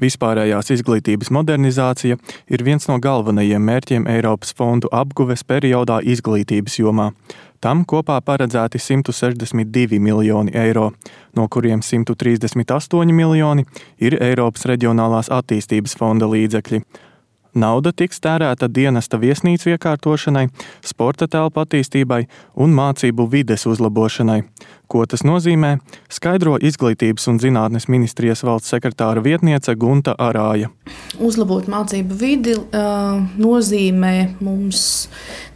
Vispārējās izglītības modernizācija ir viens no galvenajiem mērķiem Eiropas fondu apguves periodā izglītības jomā. Tam kopā paredzēti 162 miljoni eiro, no kuriem 138 miljoni ir Eiropas reģionālās attīstības fonda līdzekļi. Nauda tiks tērēta dienesta viesnīcu iekārtošanai, sporta telpu attīstībai un mācību vides uzlabošanai. Ko tas nozīmē, skaidro Izglītības un zinātnes ministrijas valsts sekretāra vietniece Gunta Arāja. Uzlabot mācību vidi nozīmē mums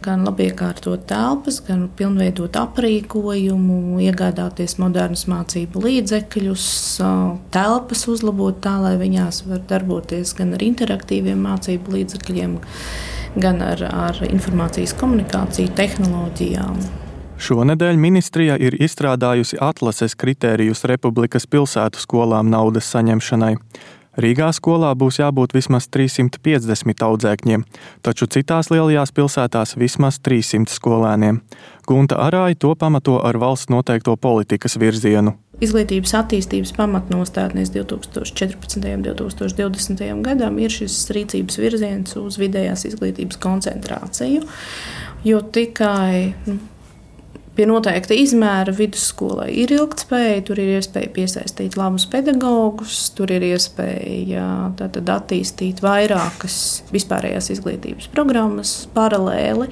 gan labiekārtot telpas, gan pilnveidot aprīkojumu, iegādāties modernus mācību līdzekļus, telpas uzlabot tā, lai viņās var darboties gan ar interaktīviem mācību līdzekļiem, gan ar informācijas komunikāciju tehnoloģijām. Šonedēļ ministrija ir izstrādājusi atlases kritērijus Republikas pilsētu skolām naudas saņemšanai. Rīgā skolā būs jābūt vismaz 350 audzēkņiem, taču citās lielajās pilsētās vismaz 300 skolēniem. Gunta Arāja to pamato ar valsts noteikto politikas virzienu. Izglītības attīstības pamatnostādnēs 2014. un 2020. gadam ir šis rīcības virziens uz vidējās izglītības koncentrāciju, jo tikai pie noteikta izmēra vidusskolai ir ilgtspēja, tur ir iespēja piesaistīt labus pedagogus, tur ir iespēja attīstīt vairākas vispārējās izglītības programmas paralēli,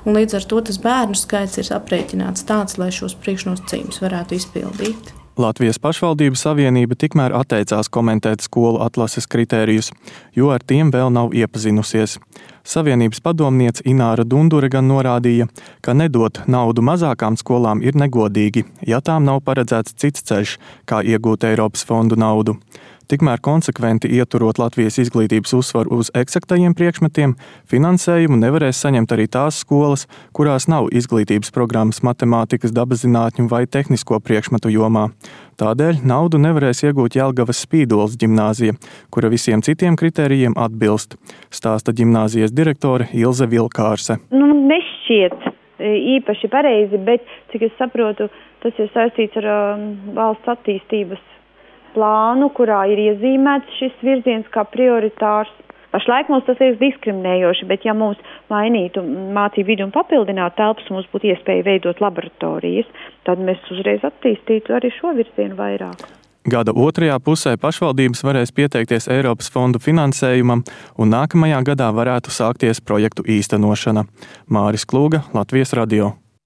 un līdz ar to tas bērnu skaits ir aprēķināts tāds, lai šos priekšnosacījumus varētu izpildīt. Latvijas pašvaldību savienība tikmēr atteicās komentēt skolu atlases kritērijus, jo ar tiem vēl nav iepazinusies. Savienības padomniece Ināra Dundure gan norādīja, ka nedot naudu mazākām skolām ir negodīgi, ja tām nav paredzēts cits ceļš, kā iegūt Eiropas fondu naudu. Tikmēr konsekventi ieturot Latvijas izglītības uzsvaru uz eksaktajiem priekšmetiem, finansējumu nevarēs saņemt arī tās skolas, kurās nav izglītības programmas matemātikas, dabaszinātņu vai tehnisko priekšmetu jomā. Tādēļ naudu nevarēs iegūt Jelgavas Spīdoles ģimnāzija, kura visiem citiem kritērijiem atbilst, stāsta ģimnāzijas direktore Ilze Vilkārse. Nešķiet īpaši pareizi, bet, cik es saprotu, tas ir saistīts ar valsts attīstības plānu, kurā ir iezīmēts šis virziens kā prioritārs. Pašlaik mums tas ir diskriminējoši, bet ja mums mainītu mācību vidi un papildinātu telpas, mums būtu iespēja veidot laboratorijas, tad mēs uzreiz attīstītu arī šo virzienu vairāk. Gada otrajā pusē pašvaldības varēs pieteikties Eiropas fondu finansējumam, un nākamajā gadā varētu sākties projektu īstenošana. Māris Klūga, Latvijas radio.